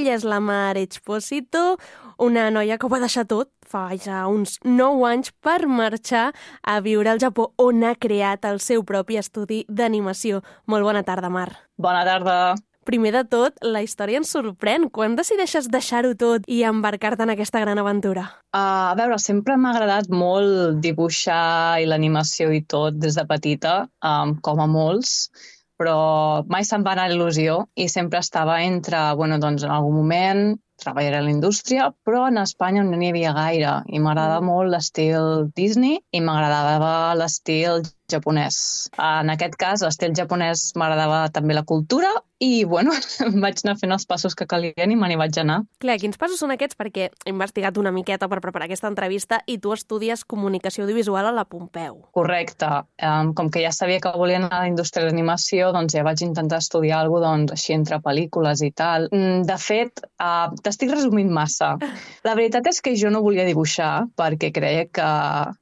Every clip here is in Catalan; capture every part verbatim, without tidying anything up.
Ella és la Mar Expósito, una noia que ho va deixar tot fa ja uns nou anys per marxar a viure al Japó, on ha creat el seu propi estudi d'animació. Molt bona tarda, Mar. Bona tarda. Primer de tot, la història ens sorprèn. Quan decideixes deixar-ho tot i embarcar-te en aquesta gran aventura? Uh, a veure, sempre m'ha agradat molt dibuixar i l'animació i tot des de petita, um, com a molts, però mai se'm va anar il·lusió i sempre estava entre, bueno, doncs en algun moment treballaré a la indústria, però en Espanya no n'hi havia gaire i m'agradava molt l'estil Disney i m'agradava l'estil japonès. En aquest cas, l'estil japonès m'agradava també la cultura i, bueno, vaig anar fent els passos que calien i me n'hi vaig anar. Clar, quins passos són aquests? Perquè he investigat una miqueta per preparar aquesta entrevista i tu estudies comunicació audiovisual a la Pompeu. Correcte. Um, com que ja sabia que volia anar a la indústria d'animació, doncs ja vaig intentar estudiar alguna cosa doncs, així entre pel·lícules i tal. De fet, uh, t'estic resumint massa. La veritat és que jo no volia dibuixar perquè creia que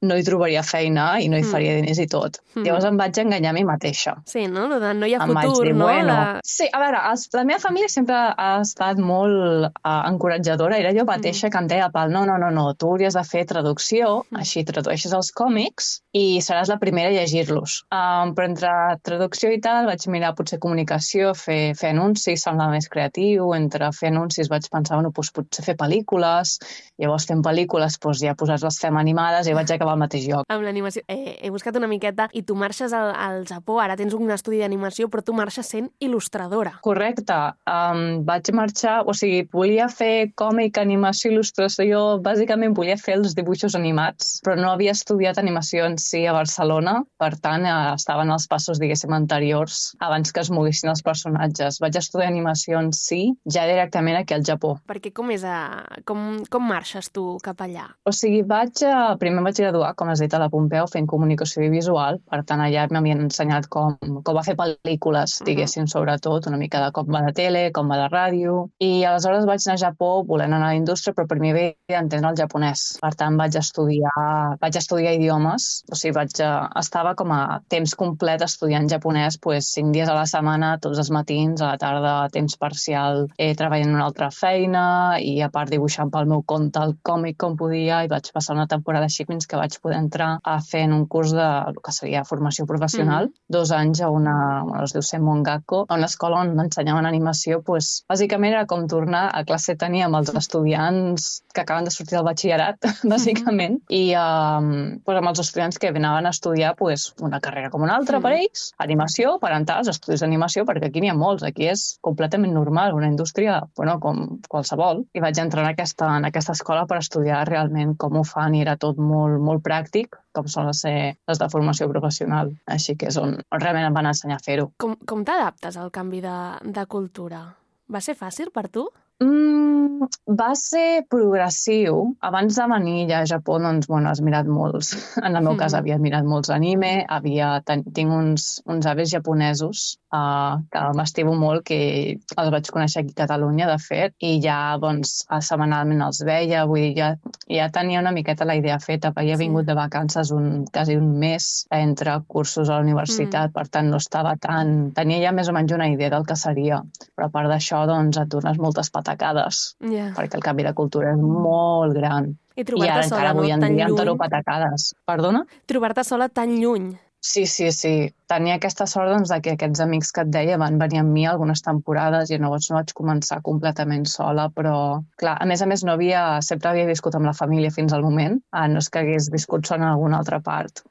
no hi trobaria feina i no hi faria diners i tot. Mm. Llavors em vaig enganyar a mi mateixa. Sí, no? De no hi ha em futur, dir, no? Bueno, la... Sí, a veure, els, la meva família sempre ha estat molt uh, encoratjadora. Era jo mateixa mm. que em deia, Pal, no, no, no, no, tu hauries de fer traducció, mm. així tradueixes els còmics i seràs la primera a llegir-los. Um, però entre traducció i tal vaig mirar potser comunicació, fer, fer anuncis, sembla més creatiu. Entre fer anuncis vaig pensar, bueno, doncs potser fer pel·lícules. Llavors fent pel·lícules, doncs ja posar les fem animades i vaig acabar al mateix lloc. Amb l'animació, eh, he buscat una miqueta i tu marxes al, al Japó, ara tens un estudi d'animació, però tu marxes sent il·lustradora. Correcte. Um, vaig marxar, o sigui, volia fer còmic, animació, il·lustració, bàsicament volia fer els dibuixos animats, però no havia estudiat animació en si a Barcelona, per tant, eh, estaven els passos, diguéssim, anteriors, abans que es moguessin els personatges. Vaig estudiar animació en si, ja directament aquí al Japó. Perquè com és, a... com, com marxes tu cap allà? O sigui, vaig, a... primer vaig graduar, com has dit, a la Pompeu, fent comunicació visual, per tant, allà m'havien ensenyat com, com va fer pel·lícules, diguéssim, uh-huh. sobretot, una mica de com va de tele, com va de ràdio, i aleshores vaig anar a Japó volent anar a la indústria, però primer havia d'entendre el japonès. Per tant, vaig estudiar, vaig estudiar idiomes, o sigui, vaig, estava com a temps complet estudiant japonès, pues, cinc dies a la setmana, tots els matins, a la tarda, a temps parcial, eh, treballant en una altra feina, i a part dibuixant pel meu compte el còmic com podia, i vaig passar una temporada així fins que vaig poder entrar a fer en un curs de el que seria formació professional, mm. dos anys a una, bueno, es diu Senmon Gakko, a una escola on ensenyaven animació, pues, bàsicament era com tornar a classe tenir amb els estudiants que acaben de sortir del batxillerat, bàsicament, mm. i um, pues, amb els estudiants que anaven a estudiar pues, una carrera com una altra mm. per ells, animació, per entrar als estudis d'animació, perquè aquí n'hi ha molts, aquí és completament normal, una indústria, bueno, com qualsevol, i vaig entrar en aquesta, en aquesta escola per estudiar realment com ho fan, i era tot molt, molt pràctic, com solen ser les de formació professional. Així que és on realment em van ensenyar a fer-ho. Com, com t'adaptes al canvi de, de cultura? Va ser fàcil per tu? Mm, va ser progressiu. Abans de venir ja a Japó, doncs, bueno, has mirat molts. En el meu mm. cas havia mirat molts anime, havia, ten, tinc uns, uns avis japonesos uh, que m'estimo molt, que els vaig conèixer aquí a Catalunya, de fet, i ja, doncs, setmanalment els veia, vull dir, ja, ja tenia una miqueta la idea feta, havia vingut sí. de vacances un, quasi un mes entre cursos a la universitat, mm. per tant, no estava tan... Tenia ja més o menys una idea del que seria, però a part d'això, doncs, et dones moltes patacades, yeah. perquè el canvi de cultura és molt gran. I, I ara sola, encara avui no? en Tan dia em lluny. toro patacades. Perdona? Trobar-te sola tan lluny. Sí, sí, sí. Tenia aquesta sort doncs, de que aquests amics que et deia van venir amb mi algunes temporades i llavors no vaig començar completament sola, però clar, a més a més no havia, sempre havia viscut amb la família fins al moment, ah, no és que hagués viscut sola en alguna altra part.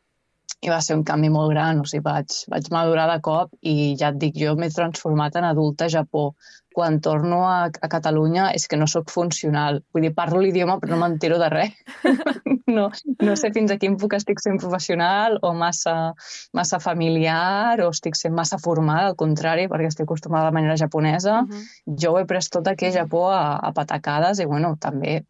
I va ser un canvi molt gran, o sigui, vaig, vaig madurar de cop i ja et dic, jo m'he transformat en adulta a Japó. Quan torno a, a Catalunya és que no sóc funcional. Vull dir, parlo l'idioma però no m'entero de res. no, no sé fins a quin punt estic sent professional o massa, massa familiar o estic sent massa formal, al contrari, perquè estic acostumada a la manera japonesa. Uh-huh. Jo ho he pres tot aquí a Japó a, a patacades i, bueno, també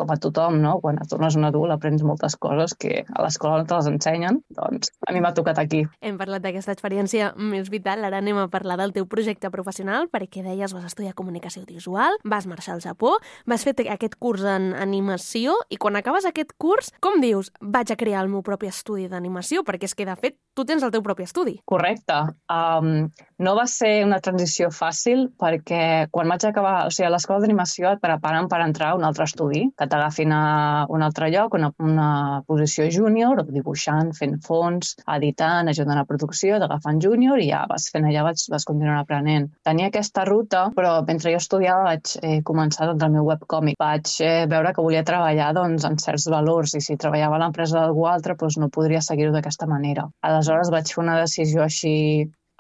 com a tothom, no? Quan et tornes un adult aprens moltes coses que a l'escola no te les ensenyen, doncs a mi m'ha tocat aquí. Hem parlat d'aquesta experiència més vital, ara anem a parlar del teu projecte professional, perquè deies vas estudiar comunicació audiovisual, vas marxar al Japó, vas fer aquest curs en animació i quan acabes aquest curs, com dius, vaig a crear el meu propi estudi d'animació? Perquè és que, de fet, tu tens el teu propi estudi. Correcte. Um, no va ser una transició fàcil perquè quan vaig acabar, o sigui, a l'escola d'animació et preparen per entrar a un altre estudi, que t'agafin a un altre lloc, una, una posició júnior, dibuixant, fent fons, editant, ajudant a producció, t'agafen júnior i ja vas fent allà, vas, vas continuar aprenent. Tenia aquesta ruta, però mentre jo estudiava vaig eh, començar doncs, el meu webcòmic. Vaig eh, veure que volia treballar doncs, en certs valors i si treballava a l'empresa d'algú altre doncs, no podria seguir-ho d'aquesta manera. Aleshores vaig fer una decisió així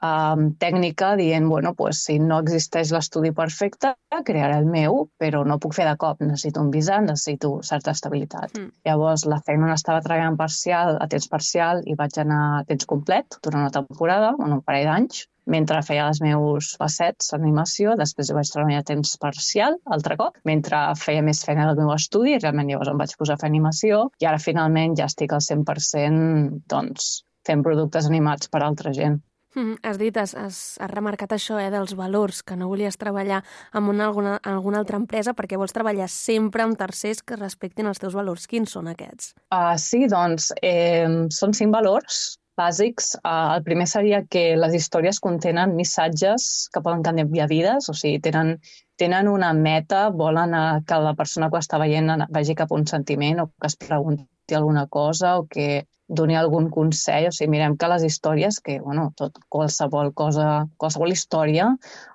Um, tècnica dient, bueno, pues, si no existeix l'estudi perfecte, crearé el meu, però no puc fer de cop, necessito un visat, necessito certa estabilitat. Mm. Llavors, la feina on estava treballant parcial, a temps parcial, i vaig anar a temps complet durant una temporada, bueno, un parell d'anys, mentre feia els meus facets d'animació, després vaig treballar a temps parcial, altre cop, mentre feia més feina del meu estudi, i realment llavors em vaig posar a fer animació, i ara finalment ja estic al cent per cent doncs, fent productes animats per altra gent. Mm, has dit, has, has, has remarcat això eh, dels valors, que no volies treballar en una, alguna, alguna altra empresa perquè vols treballar sempre amb tercers que respectin els teus valors. Quins són aquests? Uh, sí, doncs, eh, són cinc valors bàsics. Uh, el primer seria que les històries contenen missatges que poden canviar vides, o sigui, tenen, tenen una meta, volen que la persona que ho està veient vagi cap a un sentiment o que es pregunti alguna cosa o que doni algun consell. O sigui, mirem que les històries, que bueno, tot, qualsevol cosa, qualsevol història,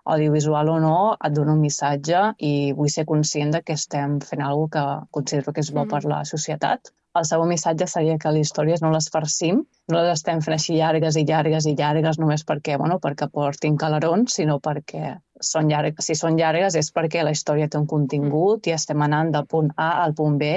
audiovisual o no, et dona un missatge i vull ser conscient de que estem fent alguna cosa que considero que és bo mm. per la societat. El segon missatge seria que les històries no les farcim, no les estem fent així llargues i llargues i llargues només perquè, bueno, perquè portin calarons, sinó perquè són llargues. Si són llargues és perquè la història té un contingut mm. i estem anant del punt A al punt B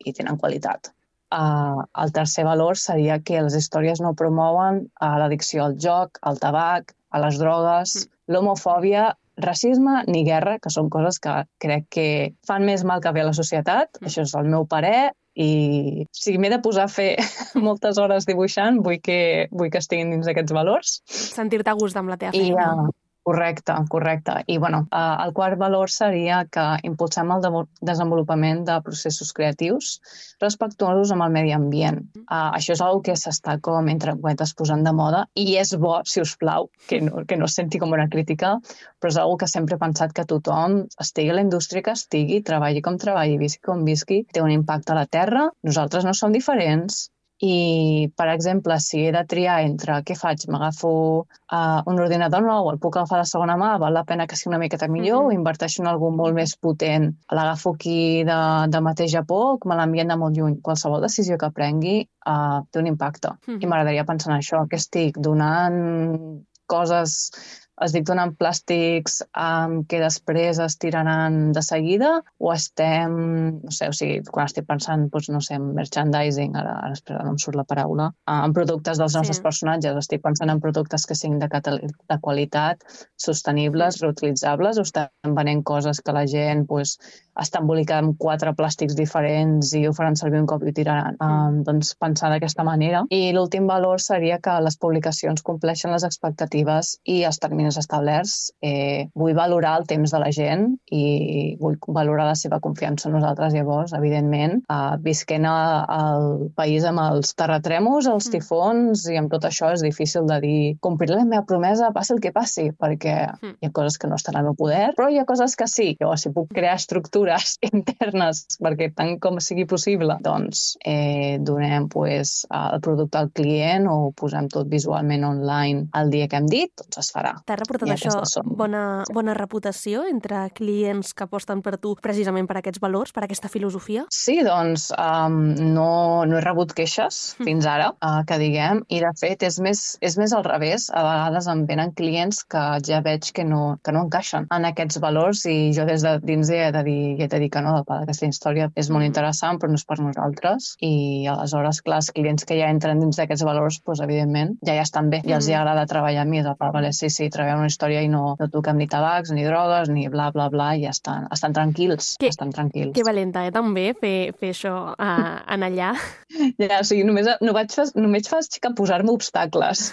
i tenen qualitat. Uh, el tercer valor seria que les històries no promouen uh, l'addicció al joc, al tabac, a les drogues, mm. l'homofòbia, racisme ni guerra, que són coses que crec que fan més mal que bé a la societat. Mm. Això és el meu parer i si m'he de posar a fer moltes hores dibuixant, vull que, vull que estiguin dins d'aquests valors. Sentir-te a gust amb la teva feina. I, uh, Correcte, correcte. I bueno, eh, el quart valor seria que impulsem el de- desenvolupament de processos creatius respectuosos amb el medi ambient. Eh, això és una cosa que s'està com entre cometes posant de moda i és bo, si us plau, que no, que no es senti com una crítica, però és una cosa que sempre he pensat que tothom, estigui a la indústria que estigui, treballi com treballi, visqui com visqui, té un impacte a la terra. Nosaltres no som diferents. I, per exemple, si he de triar entre què faig, m'agafo uh, un ordinador nou, el puc agafar de segona mà, val la pena que sigui una miqueta millor, mm-hmm. o inverteixo en algú molt més potent, l'agafo aquí de, de mateix Japó, o me l'envien de molt lluny. Qualsevol decisió que prengui uh, té un impacte. Mm-hmm. I m'agradaria pensar en això, que estic donant coses... Estic donant plàstics um, que després es tiraran de seguida o estem, no sé, o sigui, quan estic pensant, doncs, no sé, en merchandising, ara, ara espera, no em surt la paraula, uh, en productes dels nostres sí. personatges, estic pensant en productes que siguin de, de qualitat, sostenibles, reutilitzables, o estem venent coses que la gent doncs, està embolicada amb quatre plàstics diferents i ho faran servir un cop i ho tiraran. Um, doncs pensar d'aquesta manera. I l'últim valor seria que les publicacions compleixen les expectatives i els terminis establerts. Eh, vull valorar el temps de la gent i vull valorar la seva confiança en nosaltres. Llavors, evidentment, uh, visquent al país amb els terratrèmols, els tifons i amb tot això és difícil de dir compliré la meva promesa, passi el que passi, perquè hi ha coses que no estan al meu poder, però hi ha coses que sí. Llavors, si puc crear estructures internes perquè tant com sigui possible, doncs eh, donem pues, el producte al client o posem tot visualment online el dia que hem dit, doncs es farà. T'ha reportat això bona, bona reputació entre clients que aposten per tu precisament per aquests valors, per aquesta filosofia? Sí, doncs um, no, no he rebut queixes mm. fins ara, uh, que diguem, i de fet és més, és més al revés. A vegades em venen clients que ja veig que no, que no encaixen en aquests valors i jo des de dins he de dir ja t'he dit que no, aquesta història és molt interessant, però no és per nosaltres. I aleshores, clar, els clients que ja entren dins d'aquests valors, doncs, evidentment, ja ja estan bé, ja els hi agrada treballar amb mi, de vale, sí, sí, treballem una història i no, no toquem ni tabacs, ni drogues, ni bla, bla, bla, i ja estan, estan tranquils, que, estan tranquils. Que valenta, eh, també, fer, fer això uh, en allà. Ja, o sigui, només, no vaig fer, només faig que posar-me obstacles.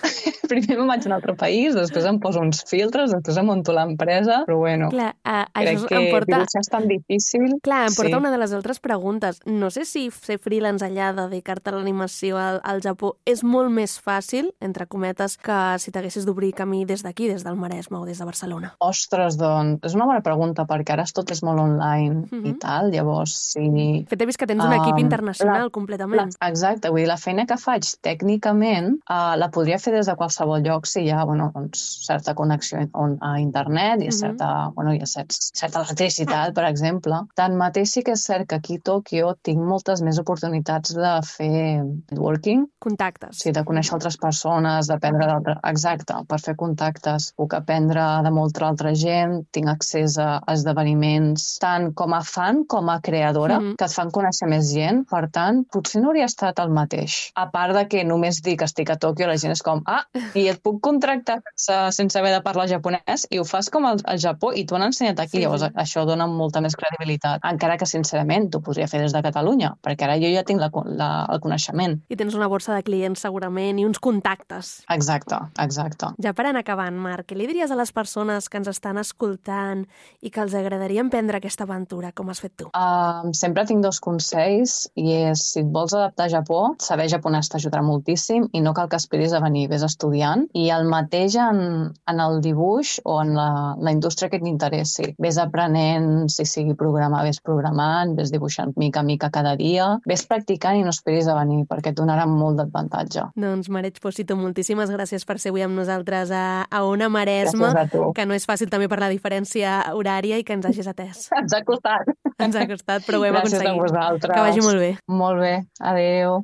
Primer me'n vaig a un altre país, després em poso uns filtres, després em monto l'empresa, però bueno, clar, uh, crec que porta... dibuixar és tan difícil. Clar, em porta sí. una de les altres preguntes. No sé si ser freelance allà, dedicar-te a l'animació al, al Japó, és molt més fàcil, entre cometes, que si t'haguessis d'obrir camí des d'aquí, des del Maresme o des de Barcelona. Ostres, doncs, és una bona pregunta, perquè ara tot és molt online mm-hmm. i tal, llavors sí... Fet, he vist que tens un equip um, internacional la, completament. La, exacte, vull dir, la feina que faig tècnicament uh, la podria fer des de qualsevol lloc si hi ha, bueno, doncs, certa connexió on, a internet i mm-hmm. certa, bueno, hi ha cert, certa electricitat, per exemple. Tanmateix sí que és cert que aquí a Tòquio tinc moltes més oportunitats de fer networking. Contactes. Sí, de conèixer altres persones, d'aprendre d'altres... Exacte, per fer contactes. Puc aprendre de molta altra gent, tinc accés a esdeveniments, tant com a fan com a creadora, mm-hmm. que et fan conèixer més gent. Per tant, potser no hauria estat el mateix. A part de que només dic que estic a Tòquio, la gent és com, ah, i et puc contractar sense, sense haver de parlar japonès, i ho fas com al, al Japó, i t'ho han ensenyat aquí. Sí, llavors, sí. Això dona molta més credibilitat. Encara que, sincerament, t'ho podria fer des de Catalunya, perquè ara jo ja tinc la, la, el coneixement. I tens una borsa de clients, segurament, i uns contactes. Exacte, exacte. Ja per anar acabant, Marc, què li diries a les persones que ens estan escoltant i que els agradaria emprendre aquesta aventura, com has fet tu? Uh, sempre tinc dos consells, i és, si et vols adaptar a Japó, saber japonès t'ajudarà moltíssim i no cal que esperis a venir, vés estudiant. I el mateix en, en el dibuix o en la, la indústria que t'interessi. Vés aprenent, si sigui programar, vés programant, vés dibuixant mica a mica cada dia, vés practicant i no esperis a venir, perquè et donarà molt d'avantatge. Doncs, Mareig Pòsito, moltíssimes gràcies per ser avui amb nosaltres a, a Ona Maresme, que no és fàcil també per la diferència horària i que ens hagis atès. Ens ha costat. Ens ha costat, però ho hem gràcies aconseguit. A vosaltres. Que vagi molt bé. Molt bé. Adéu.